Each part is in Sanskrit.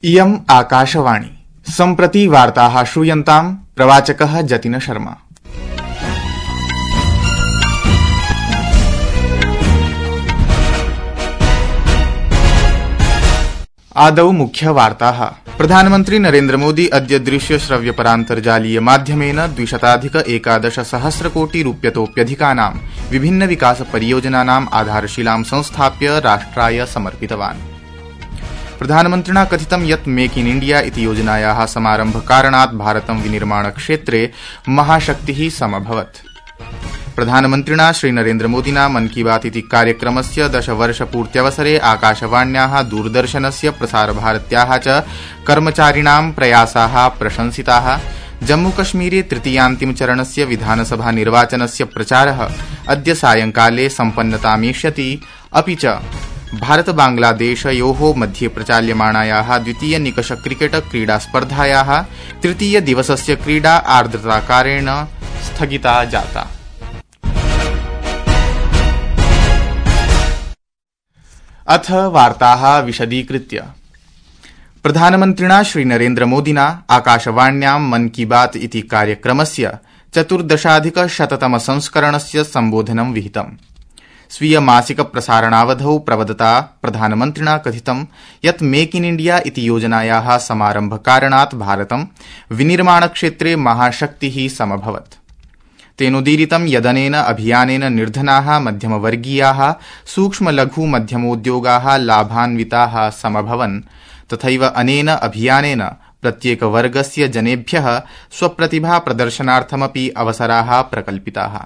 इयम् आकाशवाणी सम्प्रति वार्ताः श्रूयन्ताम् प्रवाचकः जतिन शर्मा। आदौ मुख्यवार्ताः। प्रधानमन्त्री नरेन्द्र मोदी अद्य दृश्य श्रव्य परान्तर्जालीय माध्यमेन 211 कोटि रूप्यतोप्यधिकानां विभिन्न विकास परियोजनानाम् आधारशिलां संस्थाप्य राष्ट्राय समर्पितवान्। प्रधानमन्त्रिणा कथितं यत् मेक इन इण्डिया इति योजनायाः समारम्भकारणात् भारतं विनिर्माण क्षेत्रे महाशक्तिः समभवत्। प्रधानमन्त्रिणा श्रीनरेन्द्रमोदिना मन की बात इति कार्यक्रमस्य 10 वर्षपूर्त्यवसरे आकाशवाण्याः दूरदर्शनस्य प्रसारभारत्याः च कर्मचारिणां प्रयासाः प्रशंसिताः। जम्मूकश्मीरे तृतीयान्तिमचरणस्य विधानसभा निर्वाचनस्य प्रचारः अद्य सायंकाले सम्पन्नतामेष्यति। अपि च भारत बांग्लादेशयोः मध्ये प्रचाल्यमाणायाः द्वितीय निकष क्रिकेट क्रीडास्पर्धायाः तृतीय दिवसस्य क्रीडा आर्द्रताकारेण स्थगिता जाता। अथ वार्ताः विशदीकृत्य। प्रधानमन्त्रिणा श्रीनरेन्द्रमोदिना आकाशवाण्यां मन की बात इति कार्यक्रमस्य 14,100 संस्करणस्य सम्बोधनं विहितम्। स्वीय मासिक प्रसारणावधौ प्रवदता प्रधानमन्त्रिणा कथितं यत् मेक इन इण्डिया इति योजनायाः समारम्भकारणात् भारतं विनिर्माणक्षेत्रे महाशक्तिः समभवत्। तेनोदीरितं यदनेन अभियानेन निर्धनाः मध्यमवर्गीयाः सूक्ष्म लघु मध्यमोद्योगाः लाभान्विताः समभवन्। तथैव अनेन अभियानेन प्रत्येकवर्गस्य जनेभ्यः स्वप्रतिभा प्रदर्शनार्थमपि अवसराः प्रकल्पिताः।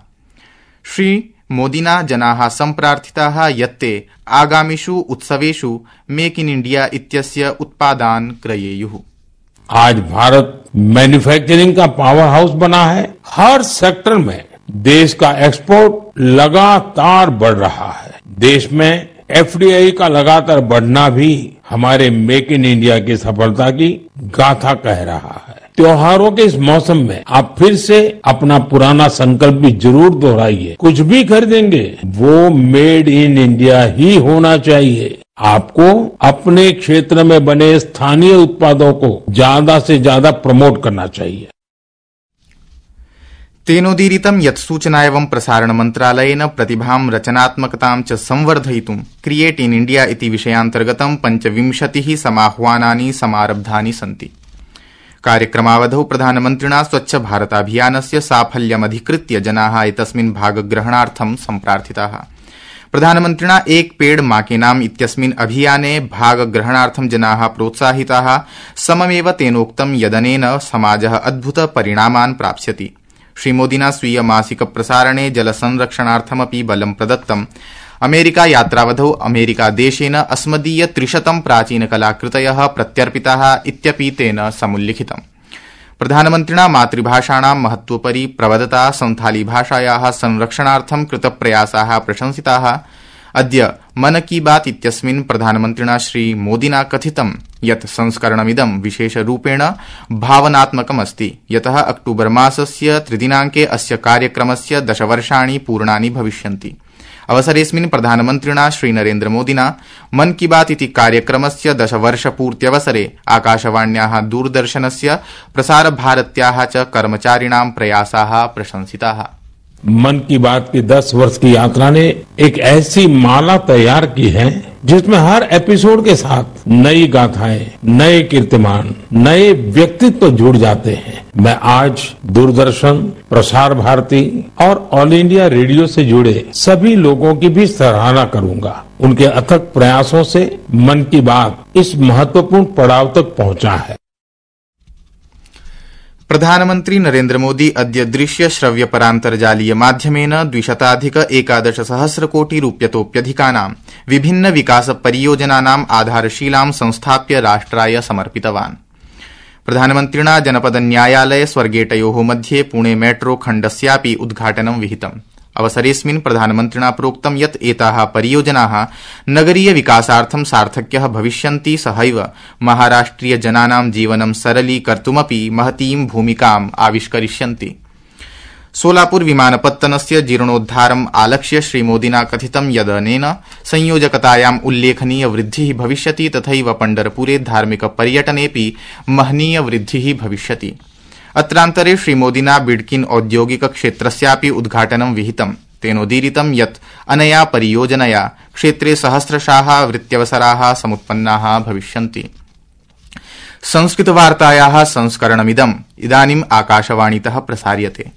श्री मोदिना जनाः सम्प्रार्थिताः यत्ते आगामिषु उत्सवेषु मेक इन इण्डिया इत्यस्य उत्पादान् क्रयेयुः। आज भारत मैन्युफैक्चरिंग का पावर हाउस बना है। हर सेक्टर में देश का एक्सपोर्ट लगातार बढ़ रहा है। देश में एफडीआई का लगातार बढ़ना भी हमारे मेक इन इंडिया की सफलता की गाथा कह रहा है। त्योहारों के इस मौसम में आप फिर से अपना पुराना संकल्प भी जरूर दोहराइए। कुछ भी खरीदेंगे वो मेड इन इंडिया ही होना चाहिए। आपको अपने क्षेत्र में बने स्थानीय उत्पादों को ज्यादा से ज्यादा प्रमोट करना चाहिए। तेनोदीरितं यत् सूचना एवं प्रसारण मन्त्रालयेन प्रतिभां रचनात्मकतां च संवर्धयितुं क्रिएट इन इण्डिया इति विषयान्तर्गतं 25 समाह्वानानि समारब्धानि सन्ति। कार्यक्रमावधौ प्रधानमन्त्रिणा स्वच्छ भारताभियानस्य साफल्यमधिकृत्य जनाः एतस्मिन् भागग्रहणार्थं सम्प्रार्थिताः। प्रधानमन्त्रिणा एक पेड़ मां के नाम इत्यस्मिन् अभियाने भागग्रहणार्थं जनाः प्रोत्साहिताः। सममेव तेनोक्तं यदनेन समाजः अद्भुत परिणामान् प्राप्स्यति। श्रीमोदिना स्वीय मासिक प्रसारणे जलसंरक्षणार्थमपि बलं प्रदत्तम्। अमेरिका यात्रावधौ अमेरिकादेशेन अस्मदीय 300 प्राचीनकलाकृतयः प्रत्यर्पिताः इत्यपि तेन समुल्लिखितम्। प्रधानमन्त्रिणा मातृभाषाणां महत्वोपरि प्रवदता संथाली भाषायाः संरक्षणार्थं कृतप्रयासाः प्रशंसिताः। अद्य मन की बात इत्यस्मिन् प्रधानमन्त्रिणा श्रीमोदिना कथितं यत् संस्करणमिदं विशेषरूपेण भावनात्मकमस्ति, यतः अक्टूबर मासस्य 3 दिनाङ्के अस्य कार्यक्रमस्य 10 वर्षाणि पूर्णानि भविष्यन्ति। अवसरेऽस्मिन् प्रधानमन्त्रिणा श्रीनरेन्द्रमोदिना मन की बात इति कार्यक्रमस्य 10 वर्षपूर्त्यवसरे आकाशवाण्याः दूरदर्शनस्य प्रसारभारत्याः च कर्मचारिणां प्रयासाः प्रशंसिताः। मन की बात की 10 वर्ष की यात्रा ने एक ऐसी माला तैयार की है जिसमें हर एपिसोड के साथ नई गाथाएं, नए कीर्तिमान, नए व्यक्तित्व जुड़ जाते हैं। मैं आज दूरदर्शन, प्रसार भारती और ऑल इंडिया रेडियो से जुड़े सभी लोगों की भी सराहना करूंगा। उनके अथक प्रयासों से मन की बात इस महत्वपूर्ण पड़ाव तक पहुंचा है। प्रधानमन्त्री नरेन्द्र मोदी अद्य दृश्य श्रव्य परान्तर्जालीय माध्यमेन 211 कोटि रूप्यतोप्यधिकानां विभिन्न विकास परियोजनानाम् आधारशिलां संस्थाप्य राष्ट्राय समर्पितवान्। प्रधानमन्त्रिणा जनपद न्यायालय स्वर्गेटयोः मध्ये पुणे मेट्रो खण्डस्यापि उद्घाटनं विहितम्। अवसरेऽस्मिन् प्रधानमन्त्रिणा प्रोक्तं यत् एताः परियोजनाः नगरीय विकासार्थं सार्थक्यः भविष्यन्ति, सहैव महाराष्ट्रिय जनानां जीवनं सरलीकर्तुमपि महतीं भूमिकाम् आविष्करिष्यन्ति। सोलापुर विमानपत्तनस्य जीर्णोद्धारम् आलक्ष्य श्रीमोदिना कथितं यदनेन संयोजकतायाम् उल्लेखनीय वृद्धिः भविष्यति तथैव पण्ढरपुरे धार्मिक पर्यटनेऽपि महनीय वृद्धिः भविष्यति। अत्रान्तरे श्रीमोदिना बिडकिन औद्योगिक क्षेत्रस्यापि उद्घाटनं विहितम्। तेनोदीरितं यत् अनया परियोजनया क्षेत्रे सहस्रशाः वृत्त्यवसराः समुत्पन्नाः भविष्यन्ति। संस्कृतवार्तायाः संस्करणमिदम् इदानीम् आकाशवाणीतः प्रसार्यते।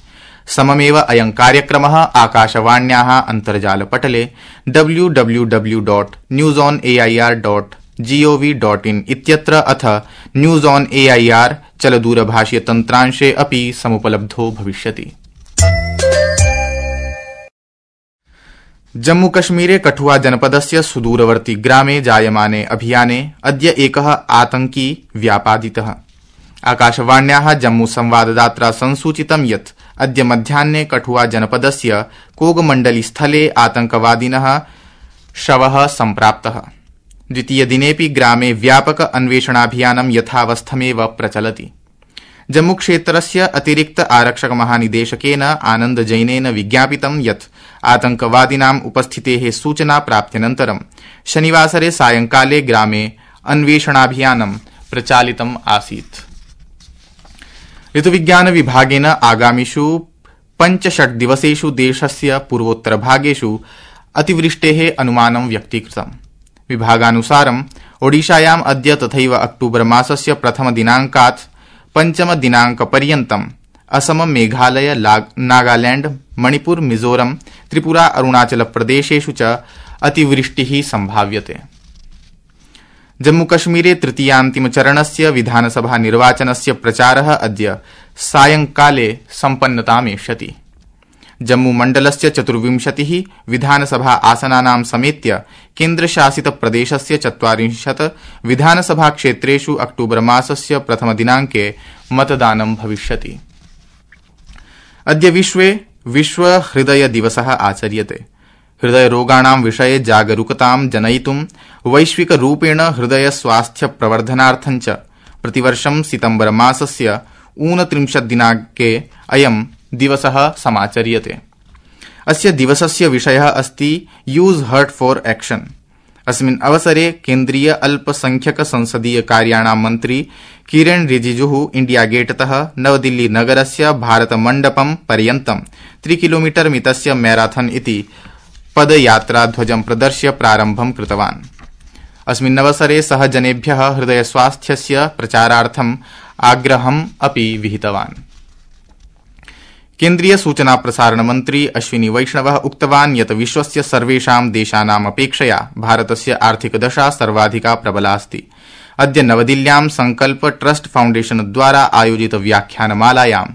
सममेव अयं कार्यक्रमः आकाशवाण्याः अन्तर्जालपटले www.newsonair.gov.in इत्यत्र अथ न्यूज ऑन एआईआर चलदूरभाषीय तन्त्रांशे अपि समुपलब्धो भविष्यति। जम्मूकश्मीरे कठुआ जनपदस्य सुदूरवर्ती ग्रामे जायमाने अभियाने अद्य एकः आतंकी व्यापादितः। आकाशवाण्याः जम्मू संवाददात्रा संसूचितं यत् अद्य मध्याह्ने कठुआ जनपदस्य कोगमण्डली स्थले आतंकवादिनः शवः सम्प्राप्तः। द्वितीयदिनेऽपि ग्रामे व्यापक अन्वेषणाभियानं यथावस्थमेव प्रचलति। जम्मूक्षेत्रस्य अतिरिक्त आरक्षक महानिदेशकेन आनन्द जैनेन विज्ञापितं यत् आतंकवादिनाम् उपस्थितेः सूचना प्राप्त्यनन्तरं शनिवासरे सायंकाले ग्रामे अन्वेषणाभियानं प्रचालितम् आसीत्। ऋतुविज्ञान विभागेन आगामिषु 5-6 दिवसेषु देशस्य पूर्वोत्तरभागेषु अतिवृष्टेः अनुमानं व्यक्तीकृतम्। विभागानुसारम् ओडिशायाम् अद्य तथैव अक्टूबर मासस्य प्रथमदिनाङ्कात् पञ्चमदिनाङ्कपर्यन्तम् असम, मेघालय, नागालैंड, मणिपुर, मिजोरम, त्रिपुरा, अरुणाचल प्रदेशेषु च अतिवृष्टिः संभाव्यते। जम्मूकश्मीरे तृतीयान्तिमचरणस्य विधानसभा निर्वाचनस्य प्रचारः अद्य सायंकाले सम्पन्नतामेष्यति। जम्मूमण्डलस्य 24 विधानसभा आसनानां समेत्य केन्द्रशासित प्रदेशस्य 40 विधानसभा क्षेत्रेषु अक्टूबर मासस्य प्रथमदिनाङ्के मतदानं भविष्यति। अद्य विश्व हृदय दिवसः आचर्यते। हृदयरोगाणां विषये जागरूकतां जनयितुं वैश्विक रूपेण हृदय स्वास्थ्य प्रवर्धनार्थं च प्रतिवर्षं सितंबर मासस्य 29 दिनाङ्के अयं दिवसः समाचर्यते। अस्य दिवसस्य विषयः अस्ति यूज हर्ट फॉर एक्शन। अस्मिन् अवसरे केन्द्रीय अल्पसंख्यक संसदीय कार्याणां मन्त्री किरेन रिजिजुः इंडिया गेटतः नवदिल्ली नगरस्य भारत मण्डपं पर्यन्तं 3 किलोमीटर मितस्य मैराथन इति पदयात्रा ध्वजं प्रदर्श्य प्रारम्भं कृतवान्। अस्मिन् अवसरे सः जनेभ्यः हृदय स्वास्थ्यस्य प्रचारार्थम् आग्रहम् अपि विहितवान्। केन्द्रीय सूचना प्रसारण मन्त्री अश्विनी वैष्णवः उक्तवान् यत् विश्वस्य सर्वेषां देशानाम् अपेक्षया भारतस्य आर्थिक दशा सर्वाधिका प्रबला अस्ति। अद्य नवदिल्ल्यां संकल्प ट्रस्ट फाउण्डेशन द्वारा आयोजित व्याख्यानमालायां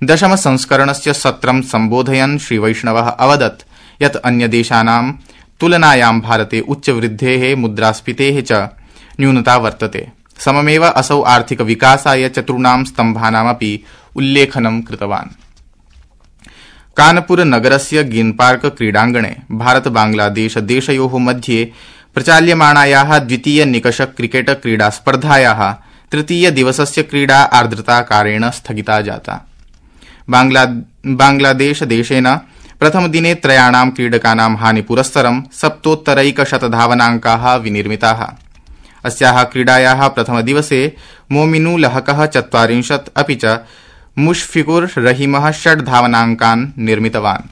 10 संस्करणस्य सत्रं सम्बोधयन् श्रीवैष्णवः अवदत् यत् अन्यदेशानां तुलनायां भारते उच्चवृद्धेः, मुद्रास्फीतेः च न्यूनता वर्तते। सममेव असौ आर्थिक विकासाय 4 स्तम्भानामपि उल्लेखनं कृतवान्। कानपुर नगरस्य ग्रीन पार्क क्रीडाङ्गणे भारत बांग्लादेश देशयोः मध्ये प्रचाल्यमाणायाः द्वितीय निकष क्रिकेट क्रीडा स्पर्धायाः तृतीय दिवसस्य क्रीडा आर्द्रताकारेण स्थगिता जाता। बांग्लादेश देशेन प्रथमदिने 3 क्रीडकानां हानिपुरस्सरं 70 धावनाङ्काः विनिर्मिताः। अस्याः क्रीडायाः प्रथमदिवसे मोमिनु लहकः 40 अपि च मुशफिकुर रहीमः 6 धावनाङ्कान् निर्मितवान्।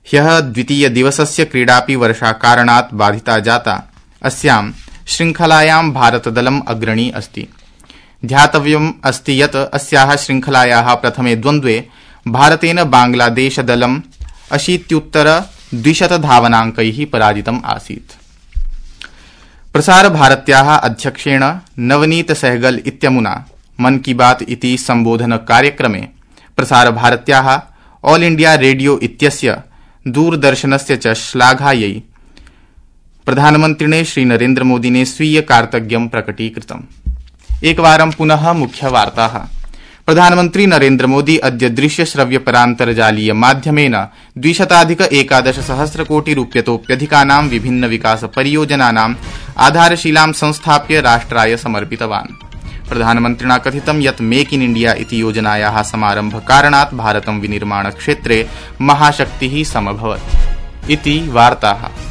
ह्यः द्वितीय दिवसस्य क्रीडापि वर्षाकारणात् बाधिता जाता। अस्यां श्रृङ्खलायां भारतदलम् अग्रणी अस्ति। ध्यातव्यम् अस्ति यत् अस्याः श्रृङ्खलायाः प्रथमे द्वन्द्वे भारतेन बांग्लादेशदलं 80-200 धावनाङ्कैः पराजितम् आसीत्। प्रसारभारत्याः अध्यक्षेण नवनीत सहगल इत्यमुना मन की बात इति संबोधन कार्यक्रमे प्रसारभारत्याः ऑल इंडिया रेडियो इत्यस्य दूरदर्शनस्य च श्लाघायै प्रधानमन्त्रिणे श्रीनरेन्द्रमोदिने स्वीय कार्तज्ञं प्रकटीकृतम्। एकवारं पुनः मुख्यवार्ताः। प्रधानमन्त्री नरेन्द्रमोदी अद्य दृश्यश्रव्यपरान्तर्जालीय माध्यमेन 211 कोटि रूप्यतोप्यधिकानां विभिन्न विकास परियोजनानां आधारशिलां संस्थाप्य राष्ट्राय समर्पितवान्। प्रधानमन्त्रिणा कथितं यत् मेक इन इण्डिया इति योजनायाः समारम्भकारणात् भारतं विनिर्माणक्षेत्रे महाशक्तिः समभवत् इति वार्ताः।